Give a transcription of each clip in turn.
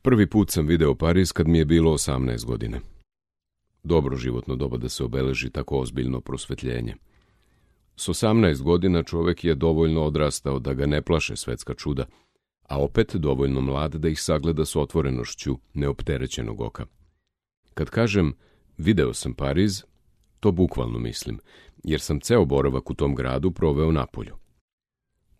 Prvi put sam video Pariz kad mi je bilo 18 godina. Dobro životno doba da se obeleži tako ozbiljno prosvetljenje. S 18 godina čovjek je dovoljno odrastao da ga ne plaše svetska čuda, a opet dovoljno mlad da ih sagleda s otvorenošću neopterećenog oka. Kad kažem video sam Pariz, to bukvalno mislim, jer sam ceo boravak u tom gradu proveo napolju.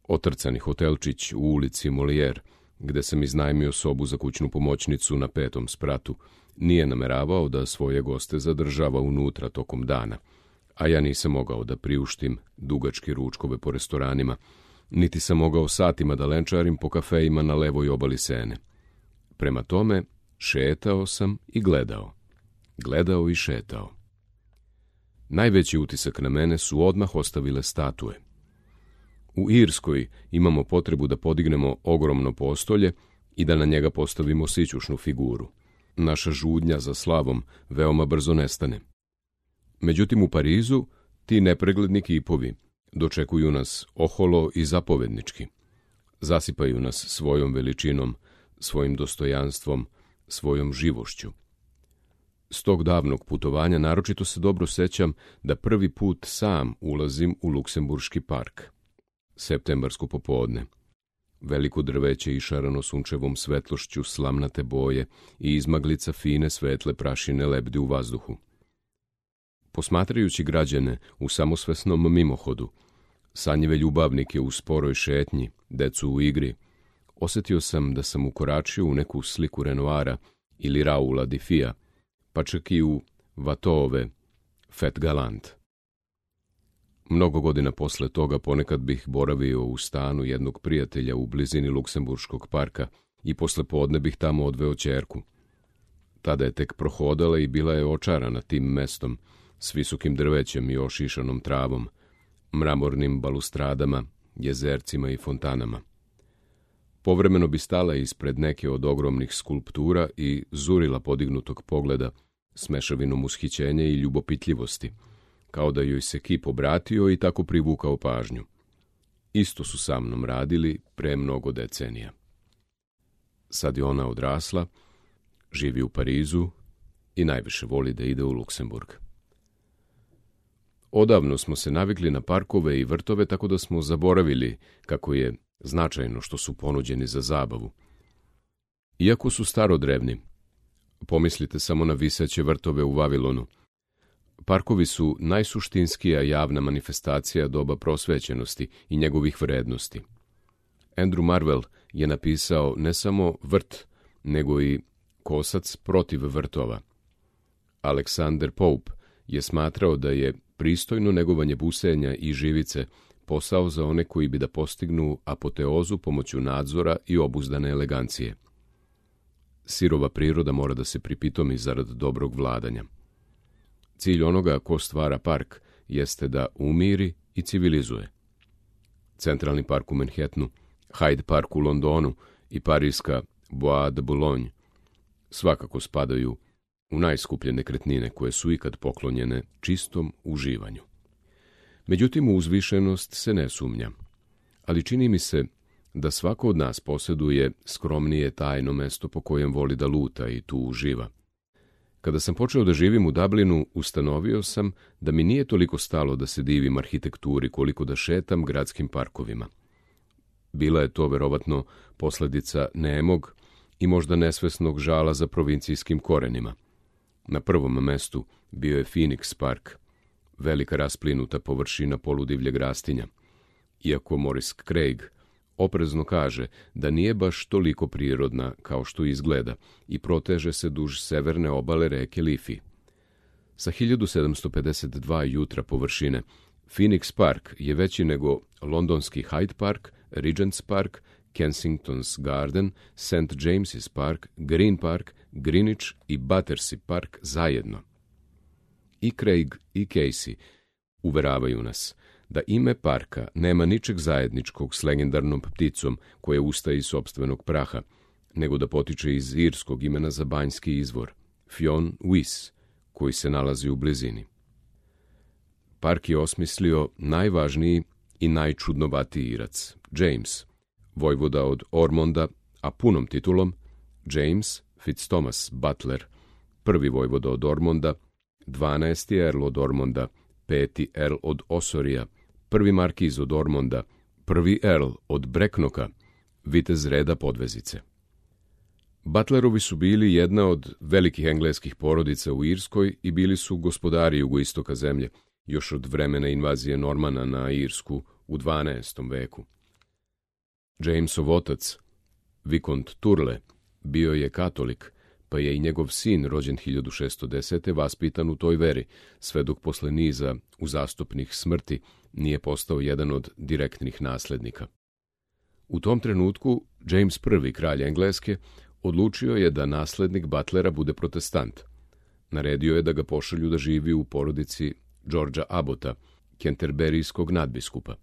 Otrcani hotelčić u ulici Molière, gde sam iznajmio sobu za kućnu pomoćnicu na 5. spratu, nije nameravao da svoje goste zadržava unutra tokom dana, a ja nisam mogao da priuštim dugačke ručkove po restoranima, niti sam mogao satima da lenčarim po kafejima na levoj obali Sene. Prema tome, šetao sam i gledao. Gledao i šetao. Najveći utisak na mene su odmah ostavile statue. U Irskoj imamo potrebu da podignemo ogromno postolje i da na njega postavimo sićušnu figuru. Naša žudnja za slavom veoma brzo nestane. Međutim, u Parizu ti nepregledni kipovi dočekuju nas oholo i zapovednički. Zasipaju nas svojom veličinom, svojim dostojanstvom, svojom živošću. S tog davnog putovanja naročito se dobro sećam da prvi put sam ulazim u Luksemburški park. Septembarsko popodne. Veliko drveće išarano sunčevom svetlošću slamnate boje i izmaglica fine svetle prašine lebdi u vazduhu. Posmatrajući građane u samosvesnom mimohodu, sanjive ljubavnike u sporoj šetnji, decu u igri, osjetio sam da sam ukoračio u neku sliku Renoira ili Raula Difija, pa čak i u Watteauove Fet Galant. Mnogo godina posle toga ponekad bih boravio u stanu jednog prijatelja u blizini Luksemburškog parka i posle podne bih tamo odveo ćerku. Tada je tek prohodala i bila je očarana tim mestom, s visokim drvećem i ošišanom travom, mramornim balustradama, jezercima i fontanama. Povremeno bi stala ispred neke od ogromnih skulptura i zurila podignutog pogleda s mešavinom ushićenja i ljubopitljivosti, kao da joj se kip obratio i tako privukao pažnju. Isto su sa mnom radili pre mnogo decenija. Sad je ona odrasla, živi u Parizu i najviše voli da ide u Luksemburg. Odavno smo se navikli na parkove i vrtove, tako da smo zaboravili kako je značajno što su ponuđeni za zabavu. Iako su starodrevni, pomislite samo na viseće vrtove u Vavilonu. Parkovi su najsuštinskija javna manifestacija doba prosvećenosti i njegovih vrednosti. Andrew Marvell je napisao ne samo vrt, nego i kosac protiv vrtova. Alexander Pope je smatrao da je pristojno negovanje busenja i živice posao za one koji bi da postignu apoteozu pomoću nadzora i obuzdane elegancije. Sirova priroda mora da se pripitomi zarad dobrog vladanja. Cilj onoga ko stvara park jeste da umiri i civilizuje. Centralni park u Manhattanu, Hyde Park u Londonu i parijska Bois de Boulogne svakako spadaju u najskuplje nekretnine koje su ikad poklonjene čistom uživanju. Međutim, u uzvišenost se ne sumnja, ali čini mi se da svako od nas posjeduje skromnije tajno mesto po kojem voli da luta i tu uživa. Kada sam počeo da živim u Dublinu, ustanovio sam da mi nije toliko stalo da se divim arhitekturi koliko da šetam gradskim parkovima. Bila je to verovatno posledica nemog i možda nesvesnog žala za provincijskim korenima. Na prvom mestu bio je Phoenix Park, velika rasplinuta površina poludivljeg rastinja, iako Maurice Craig oprezno kaže da nije baš toliko prirodna kao što izgleda i proteže se duž severne obale reke Liffey. Sa 1752 jutra površine, Phoenix Park je veći nego londonski Hyde Park, Regent's Park, Kensington's Garden, St. James's Park, Green Park, Greenwich i Battersea Park zajedno. I Craig i Casey uveravaju nas da ime parka nema ničeg zajedničkog s legendarnom pticom koja ustaje iz sopstvenog praha, nego da potiče iz irskog imena za banjski izvor, Fionn Wyss, koji se nalazi u blizini. Park je osmislio najvažniji i najčudnovatiji Irac, James, vojvoda od Ormonda, a punom titulom James Fitzthomas Butler, prvi vojvoda od Ormonda, 12. Earl od Ormonda, 5. Earl od Osorija, prvi markiz od Ormonda, prvi Earl od Breknoka, vitez reda Podvezice. Butlerovi su bili jedna od velikih engleskih porodica u Irskoj i bili su gospodari jugoistoka zemlje, još od vremena invazije Normana na Irsku u 12. veku. Jamesov otac, Vikont Turle, bio je katolik, pa je i njegov sin, rođen 1610. vaspitan u toj veri, sve dok posle niza uzastopnih smrti nije postao jedan od direktnih naslednika. U tom trenutku James I, kralj Engleske, odlučio je da naslednik Butlera bude protestant. Naredio je da ga pošalju da živi u porodici Georgea Abbota, kenterberijskog nadbiskupa.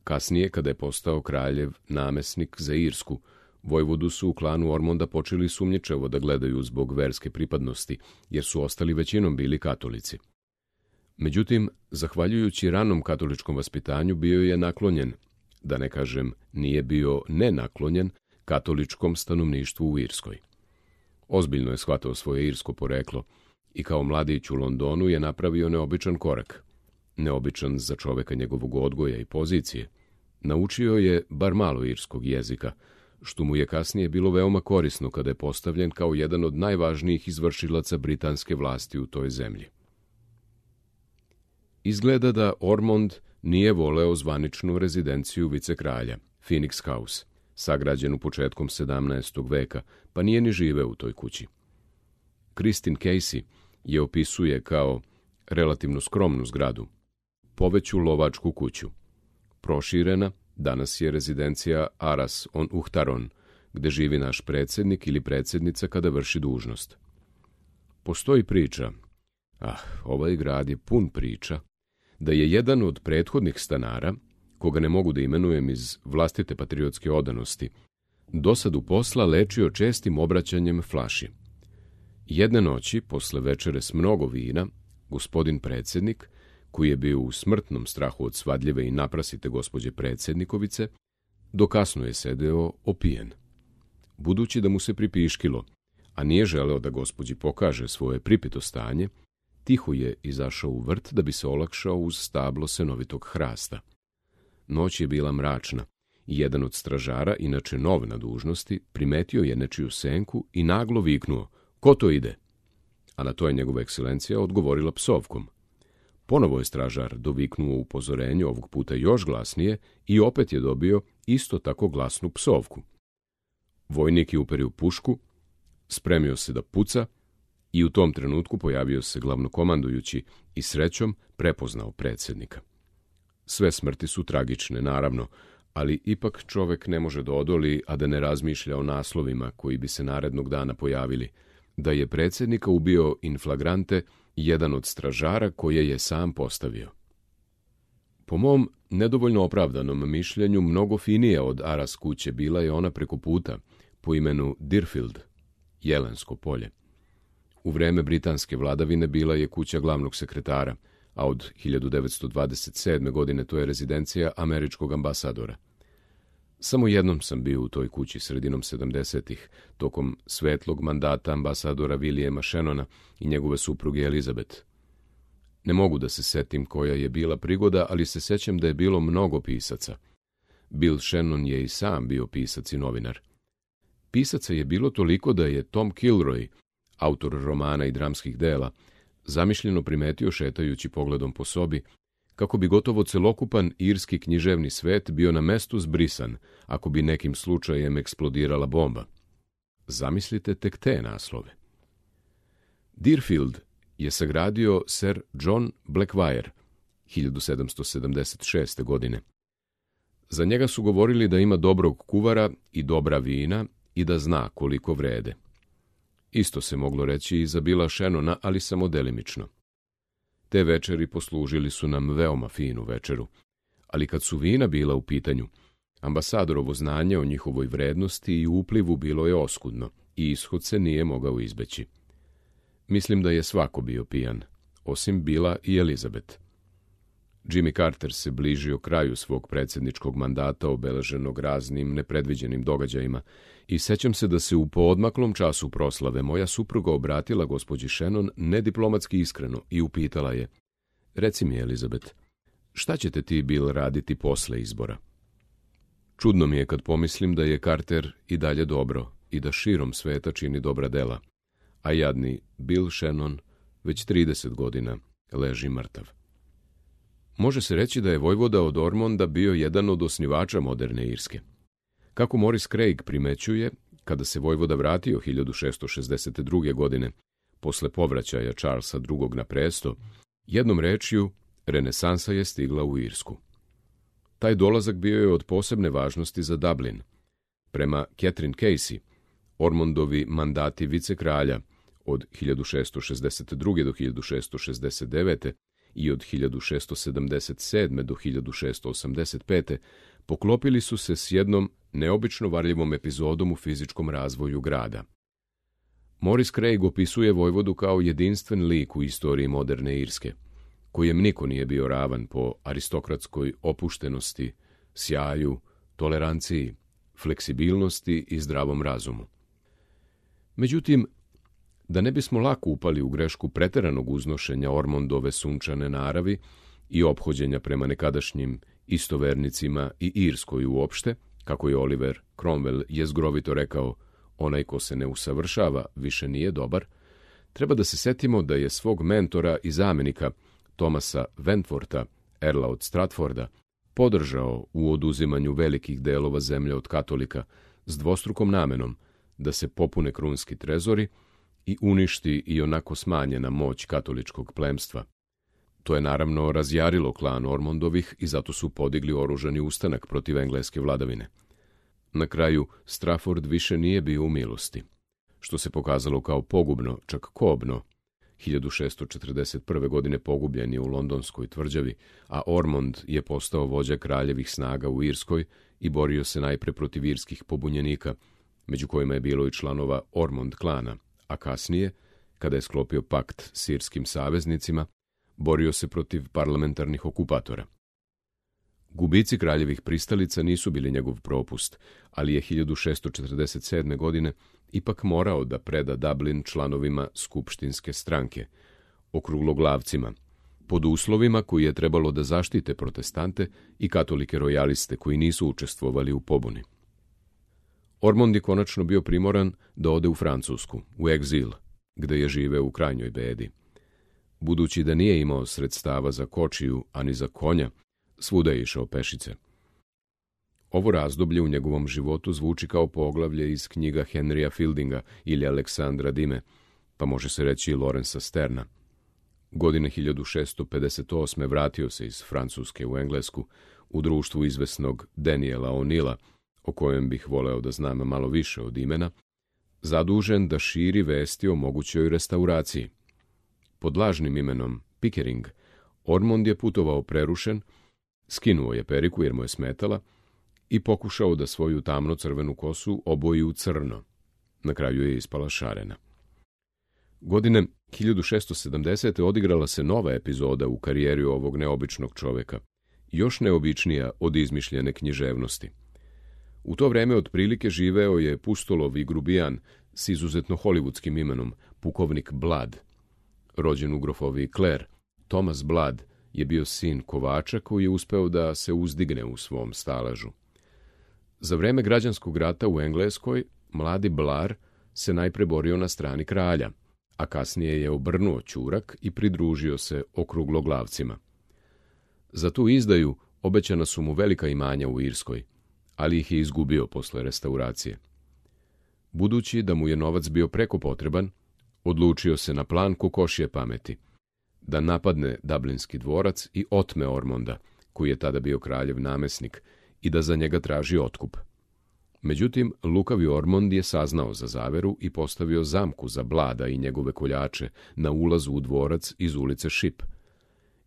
Kasnije, kada je postao kraljev namesnik za Irsku, vojvodu su u klanu Ormonda počeli sumnjičavo da gledaju zbog verske pripadnosti, jer su ostali većinom bili katolici. Međutim, zahvaljujući ranom katoličkom vaspitanju bio je naklonjen, da ne kažem nije bio nenaklonjen, katoličkom stanovništvu u Irskoj. Ozbiljno je shvatao svoje irsko poreklo i kao mladić u Londonu je napravio neobičan korak. Neobičan za čoveka njegovog odgoja i pozicije. Naučio je bar malo irskog jezika, što mu je kasnije bilo veoma korisno kada je postavljen kao jedan od najvažnijih izvršilaca britanske vlasti u toj zemlji. Izgleda da Ormond nije voleo zvaničnu rezidenciju vicekralja, Phoenix House, sagrađenu početkom 17. veka, pa nije ni živeo u toj kući. Christine Casey je opisuje kao relativno skromnu zgradu, poveću lovačku kuću. Proširena, danas je rezidencija Aras on Uhtaron, gde živi naš predsjednik ili predsjednica kada vrši dužnost. Postoji priča, ovaj grad je pun priča, da je jedan od prethodnih stanara, koga ne mogu da imenujem iz vlastite patriotske odanosti, dosadu posla lečio čestim obraćanjem flaši. Jedne noći, posle večere s mnogo vina, gospodin predsjednik, koji je bio u smrtnom strahu od svadljive i naprasite gospođe predsjednikovice, dokasno je sedeo opijen. Budući da mu se pripiškilo, a nije želeo da gospođi pokaže svoje pripito stanje, tiho je izašao u vrt da bi se olakšao uz stablo senovitog hrasta. Noć je bila mračna i jedan od stražara, inače nov na dužnosti, primetio je nečiju senku i naglo viknuo: "Ko to ide?" A na to je njegova ekscelencija odgovorila psovkom. Ponovo je stražar doviknuo upozorenje, ovog puta još glasnije, i opet je dobio isto tako glasnu psovku. Vojnik je uperio pušku, spremio se da puca i u tom trenutku pojavio se glavnokomandujući i srećom prepoznao predsjednika. Sve smrti su tragične, naravno, ali ipak čovek ne može da odoli, a da ne razmišlja o naslovima koji bi se narednog dana pojavili, da je predsjednika ubio in flagrante jedan od stražara koje je sam postavio. Po mom nedovoljno opravdanom mišljenju, mnogo finija od Aras kuće bila je ona preko puta, po imenu Deerfield, Jelensko polje. U vreme britanske vladavine bila je kuća glavnog sekretara, a od 1927. godine to je rezidencija američkog ambasadora. Samo jednom sam bio u toj kući sredinom 70-ih, tokom svetlog mandata ambasadora Williama Shannona i njegove supruge Elizabeth. Ne mogu da se setim koja je bila prigoda, ali se sećam da je bilo mnogo pisaca. Bill Shannon je i sam bio pisac i novinar. Pisaca je bilo toliko da je Tom Kilroy, autor romana i dramskih dela, zamišljeno primetio šetajući pogledom po sobi, kako bi gotovo celokupan irski književni svet bio na mestu zbrisan, ako bi nekim slučajem eksplodirala bomba. Zamislite tek te naslove. Deerfield je sagradio Sir John Blackwyre 1776. godine. Za njega su govorili da ima dobrog kuvara i dobra vina i da zna koliko vrede. Isto se moglo reći i za Billa Shannona, ali samo delimično. Te večeri poslužili su nam veoma finu večeru, ali kad su vina bila u pitanju, ambasadorovo znanje o njihovoj vrednosti i uplivu bilo je oskudno i ishod se nije mogao izbeći. Mislim da je svako bio pijan, osim Billa i Elizabeth. Jimmy Carter se bližio kraju svog predsjedničkog mandata obeleženog raznim nepredviđenim događajima i sećam se da se u poodmaklom času proslave moja supruga obratila gospođi Shannon nediplomatski iskreno i upitala je: "Reci mi, Elizabeth, šta ćete ti, Bill, raditi posle izbora?" Čudno mi je kad pomislim da je Carter i dalje dobro i da širom sveta čini dobra dela, a jadni Bill Shannon već 30 godina leži mrtav. Može se reći da je vojvoda od Ormonda bio jedan od osnivača moderne Irske. Kako Morris Craig primećuje, kada se vojvoda vratio 1662. godine, posle povraćaja Charlesa II. Na presto, jednom rečju, renesansa je stigla u Irsku. Taj dolazak bio je od posebne važnosti za Dublin. Prema Catherine Casey, Ormondovi mandati vicekralja od 1662. do 1669. i od 1677. do 1685. poklopili su se s jednom neobično varljivom epizodom u fizičkom razvoju grada. Morris Craig opisuje vojvodu kao jedinstven lik u istoriji moderne Irske, kojem niko nije bio ravan po aristokratskoj opuštenosti, sjaju, toleranciji, fleksibilnosti i zdravom razumu. Međutim, da ne bismo lako upali u grešku preteranog uznošenja Ormondove sunčane naravi i ophođenja prema nekadašnjim istovernicima i Irskoj uopšte, kako je Oliver Cromwell jezgrovito rekao, onaj ko se ne usavršava više nije dobar, treba da se setimo da je svog mentora i zamenika Thomasa Wentwortha, Erla od Stratforda, podržao u oduzimanju velikih delova zemlje od katolika s dvostrukom namenom da se popune krunski trezori i uništi i onako smanjena moć katoličkog plemstva. To je naravno razjarilo klan Ormondovih i zato su podigli oružani ustanak protiv engleske vladavine. Na kraju, Strafford više nije bio u milosti, što se pokazalo kao pogubno, čak kobno. 1641. godine pogubljen je u londonskoj tvrđavi, a Ormond je postao vođa kraljevih snaga u Irskoj i borio se najpre protiv irskih pobunjenika, među kojima je bilo i članova Ormond klana, a kasnije, kada je sklopio pakt s irskim saveznicima, borio se protiv parlamentarnih okupatora. Gubici kraljevih pristalica nisu bili njegov propust, ali je 1647. godine ipak morao da preda Dublin članovima skupštinske stranke, okrugloglavcima, pod uslovima koji je trebalo da zaštite protestante i katolike rojaliste koji nisu učestvovali u pobuni. Ormond je konačno bio primoran da ode u Francusku, u egzil, gde je živeo u krajnjoj bedi. Budući da nije imao sredstava za kočiju, ani za konja, svuda je išao pešice. Ovo razdoblje u njegovom životu zvuči kao poglavlje iz knjiga Henrya Fieldinga ili Aleksandra Dime, pa može se reći i Lorenza Sterna. Godine 1658. vratio se iz Francuske u Englesku u društvu izvesnog Daniela O'Neilla, o kojem bih voleo da znam malo više od imena, zadužen da širi vesti o mogućoj restauraciji. Pod lažnim imenom Pickering, Ormond je putovao prerušen, skinuo je periku jer mu je smetala i pokušao da svoju tamno-crvenu kosu oboji u crno. Na kraju je ispala šarena. Godine 1670. odigrala se nova epizoda u karijeri ovog neobičnog čoveka, još neobičnija od izmišljene književnosti. U to vreme otprilike živeo je pustolov i grubijan s izuzetno hollywoodskim imenom, pukovnik Blood. Rođen u grofoviji Clare, Thomas Blood je bio sin kovača koji je uspeo da se uzdigne u svom staležu. Za vreme građanskog rata u Engleskoj, mladi Blar se najpre borio na strani kralja, a kasnije je obrnuo ćurak i pridružio se okrugloglavcima. Za tu izdaju obećana su mu velika imanja u Irskoj, ali ih je izgubio posle restauracije. Budući da mu je novac bio preko potreban, odlučio se na plan kokošje pameti, da napadne Dublinski dvorac i otme Ormonda, koji je tada bio kraljev namesnik, i da za njega traži otkup. Međutim, lukavi Ormond je saznao za zaveru i postavio zamku za Blada i njegove koljače na ulazu u dvorac iz ulice Ship.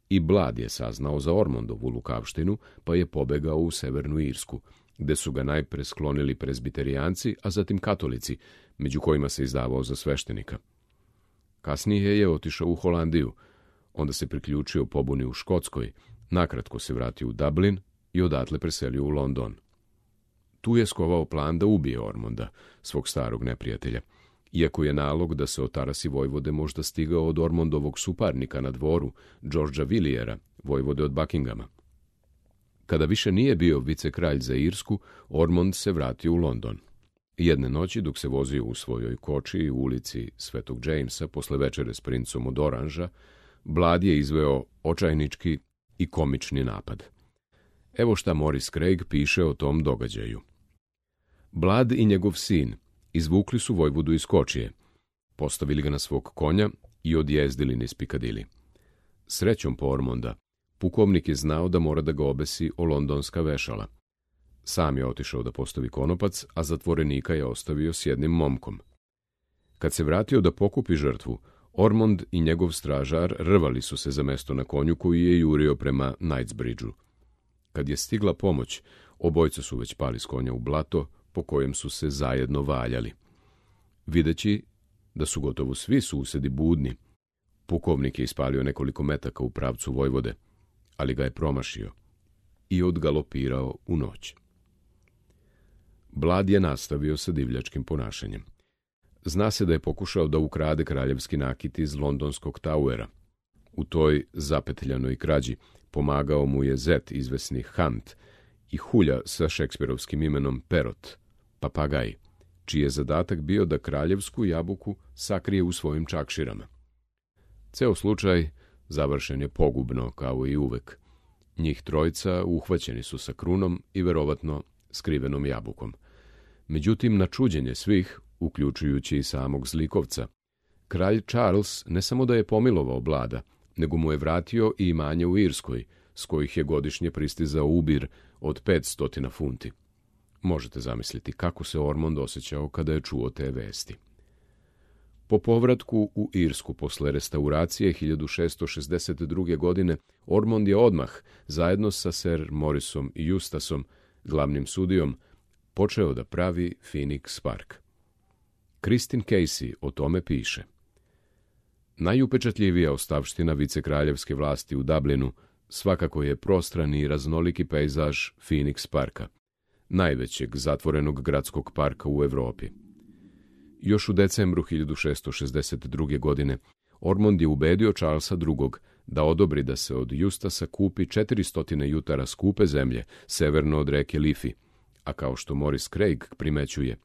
I Blad je saznao za Ormondovu lukavštinu, pa je pobegao u Severnu Irsku, gde su ga najpre sklonili prezbiterijanci, a zatim katolici, među kojima se izdavao za sveštenika. Kasnije je otišao u Holandiju, onda se priključio pobuni u Škotskoj, Nakratko se vratio u Dublin i odatle preselio u London. Tu je skovao plan da ubije Ormonda, svog starog neprijatelja, iako je nalog da se otarasi vojvode možda stigao od Ormondovog suparnika na dvoru, Georgea Villiera, vojvode od Buckinghama. Kada više nije bio vicekralj za Irsku, Ormond se vratio u London. Jedne noći, dok se vozio u svojoj koči u ulici Svetog Jamesa posle večere s princom od Oranža, Blood je izveo očajnički i komični napad. Evo šta Maurice Craig piše o tom događaju. Blood i njegov sin izvukli su vojvodu iz kočije, postavili ga na svog konja i odjezdili niz Pikadili. Srećom po Ormonda, pukovnik je znao da mora da ga obesi o londonska vešala. Sam je otišao da postavi konopac, a zatvorenika je ostavio s jednim momkom. Kad se vratio da pokupi žrtvu, Ormond i njegov stražar rvali su se za mesto na konju koji je jurio prema Knightsbridgeu. Kad je stigla pomoć, obojca su već pali s konja u blato, po kojem su se zajedno valjali. Videći da su gotovo svi susedi budni, pukovnik je ispalio nekoliko metaka u pravcu vojvode, ali ga je promašio i odgalopirao u noć. Blood je nastavio sa divljačkim ponašanjem. Zna se da je pokušao da ukrade kraljevski nakit iz londonskog Towera. U toj zapetljanoj krađi pomagao mu je zet izvesni Hunt i hulja sa šekspirovskim imenom Perot, papagaj, čiji je zadatak bio da kraljevsku jabuku sakrije u svojim čakširama. Ceo slučaj završen je pogubno, kao i uvek. Njih trojica uhvaćeni su sa krunom i verovatno skrivenom jabukom. Međutim, na čuđenje svih, uključujući i samog zlikovca, kralj Charles ne samo da je pomilovao Blada, nego mu je vratio i imanje u Irskoj, s kojih je godišnje pristizao ubir od 500 funti. Možete zamisliti kako se Ormond osjećao kada je čuo te vesti. Po povratku u Irsku posle restauracije 1662. godine, Ormond je odmah, zajedno sa Sir Mauriceom i Eustaceom, glavnim sudijom, počeo da pravi Phoenix Park. Christine Casey o tome piše. Najupečatljivija ostavština vicekraljevske vlasti u Dublinu svakako je prostrani i raznoliki pejzaž Phoenix Parka, najvećeg zatvorenog gradskog parka u Evropi. Još u decembru 1662. godine Ormond je ubedio Charlesa II. Da odobri da se od Eustacea kupi 400 jutara skupe zemlje severno od reke Liffey, a kao što Maurice Craig primećuje,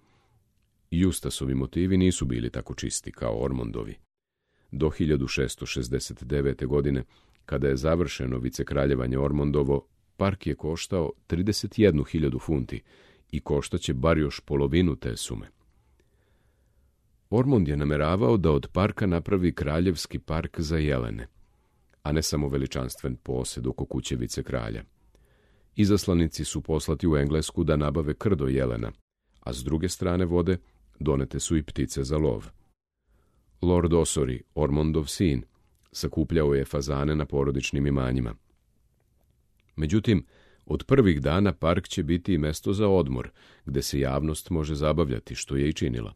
Eustaceovi motivi nisu bili tako čisti kao Ormondovi. Do 1669. godine, kada je završeno vicekraljevanje Ormondovo, park je koštao 31.000 funti i koštaće bar još polovinu te sume. Ormond je nameravao da od parka napravi kraljevski park za jelene, a ne samo veličanstven posed oko kuće vicekralja. Izaslanici su poslati u Englesku da nabave krdo jelena, a s druge strane vode donete su i ptice za lov. Lord Ossory, Ormondov sin, sakupljao je fazane na porodičnim imanjima. Međutim, od prvih dana park će biti i mesto za odmor, gde se javnost može zabavljati, što je i činila.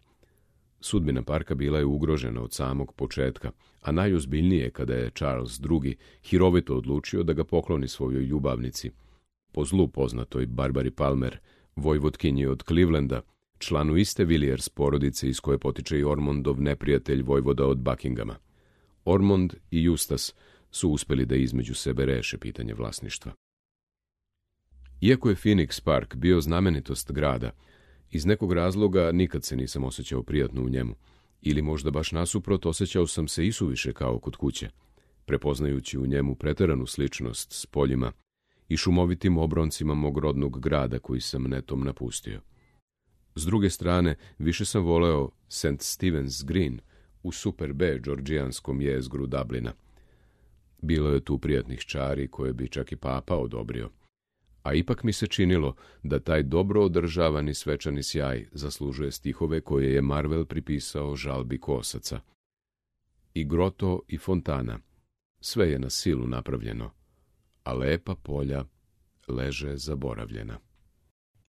Sudbina parka bila je ugrožena od samog početka, a najozbiljnije kada je Charles II. Hirovito odlučio da ga pokloni svojoj ljubavnici, po zlu poznatoj Barbari Palmer, vojvotkinji od Clevelanda, članu iste Villiers porodice iz koje potiče i Ormondov neprijatelj vojvoda od Buckinghama. Ormond i Eustace su uspeli da između sebe reše pitanje vlasništva. Iako je Phoenix Park bio znamenitost grada, iz nekog razloga nikad se nisam osjećao prijatno u njemu, ili možda baš nasuprot osjećao sam se isuviše kao kod kuće, prepoznajući u njemu preteranu sličnost s poljima i šumovitim obroncima mog rodnog grada koji sam netom napustio. S druge strane, više sam voleo St. Stephen's Green u Super B džordžijanskom jezgru Dublina. Bilo je tu prijatnih čari koje bi čak i papa odobrio, a ipak mi se činilo da taj dobro održavani svečani sjaj zaslužuje stihove koje je Marvel pripisao žalbi kosaca. I groto i fontana, sve je na silu napravljeno, a lepa polja leže zaboravljena.